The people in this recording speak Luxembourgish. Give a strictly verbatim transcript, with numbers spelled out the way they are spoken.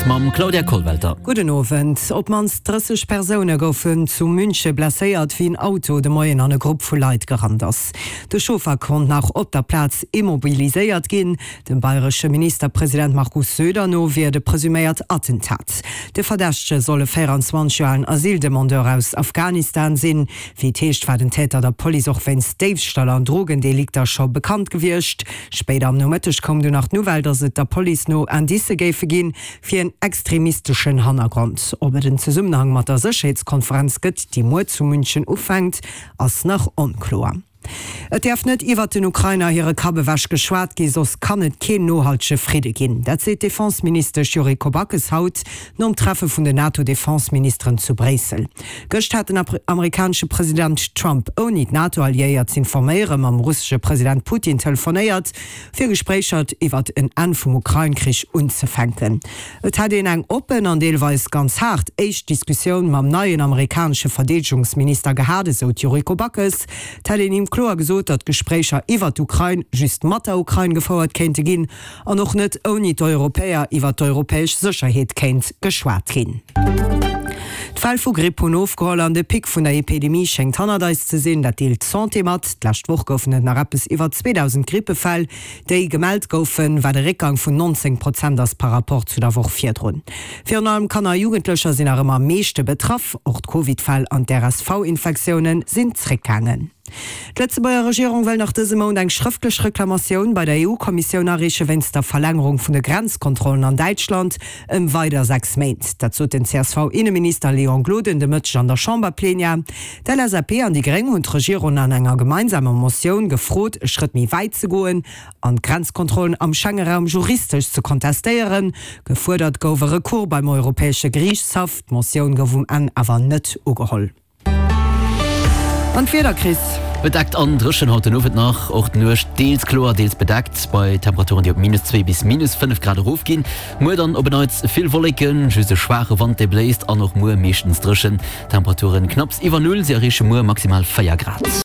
News mam Claudia Kollwelter. Gudden Owend. Op d'mannst drësseg Persoune goufen zu Münche blesséiert, wéi en Auto de Moien an e Grupp vu Leit gerannt ass. De Chauffer konnt nach op der Plaz immobiliséiert ginn. Dem bayresche Ministerpresident Markus Söder no wier et e presuméiert Attentat. De Verdächtege soll e véieranzwanzeg Joer alen Asyldemandeur aus Afghanistan sinn. Wéi et heescht, war den Täter der Police och wéinst Déifstall an Drogendelikter scho bekannt gewiescht. Spéider am Nomëtteg koum dunn nach d'Nouvelle, datt et der Police no Indicë géife ginn fir en extremisteschen Hannergrond. Ob et en Zesummenhang mat der Sécherheetskonferenz gëtt, déi muer zu München ufänkt, ass nach onkloer. Et däerf net iwwert den Ukrainer hire Kapp ewech geschwat ginn, soss kann et keen nohaltege Fridde ginn. Dat seet d'Defense-Ministesch Yuriko Backes haut nom Treffe vun den NATO-Defense-Ministeren zu Bréissel. Gëscht hat den amerikanesche President Trump, ouni d'NATO-Alliéiert z'informéieren, mam russesche President Putin telefonéiert, fir Gespréicher iwwert en Enn vum Ukrain-Krich unzefänken. Et hätt een eng oppen an deelweis ganz haart éischt Diskussioun mam neien amerikanesche Verdeedegungsminister gehat, esou d'Yuriko Backes. Et hätt een him kloer gesot, datt Gespréicher iwwer d'Ukrain just mat der Ukrain gefouert kéinte ginn an och net ouni d'Europäer iwwer d'europäesch Sécherheet kéint geschwat ginn. D'Fäll vu Gripp hunn ofgeholl an de Pic vun der Epidemie schéngt hannert eis ze sinn. Dat deelt d'Santé mat. D'lescht Woch goufen et nach eppes iwwer zweedausend Grippefäll, déi gemellt goufen, wat e Réckgang vun nonzéng Prozent ass par Rapport zu der Woch virdrun. Virun allem Kanner a Jugendlecher sinn nach ëmmer am meeschte betraff. Och d'Covid-Fäll an d'R S V-Infektioune sinn zréckgaangen. D'Lëtzebuerger Regierung wëll nach dëse Mount eng schrëftlech Reklamatioun bei der E U-Kommissioun areeche wéinst der Verlängerung vun de Grenzkontrollen an Däitschland ëm weider sechs Méint. Dat sot den C S V-Inneminister Léon Gloden de Mëtteg an der Chamberplenière. D'L S A P an déi Gréng hunn d'Regierung an enger gemeinsamer Motioun gefrot, e Schrëtt méi wäit ze goen an d'Grenzkontrollen am Schengeraum juristesch ze kontestéieren. Gefuerdert gouf e Recours beim Europäesche Geriichtshaff. D'Motioun gouf um Enn awer net ugeholl. An d'Wieder, Chris? Bedeckt an dréchen haut den Owend nach, och d'Nuecht deels kloer, deels bedeckt, bei Temperaturen déi op minus zwee bis minus fënnef Grad erofginn. Muer dann op en Neits vill Wolleken, just e schwaache Wand dee bléist an och muer meeschtens dréchen. Temperaturen knapps iwwer Null, si erreeche muer maximal véier Grad.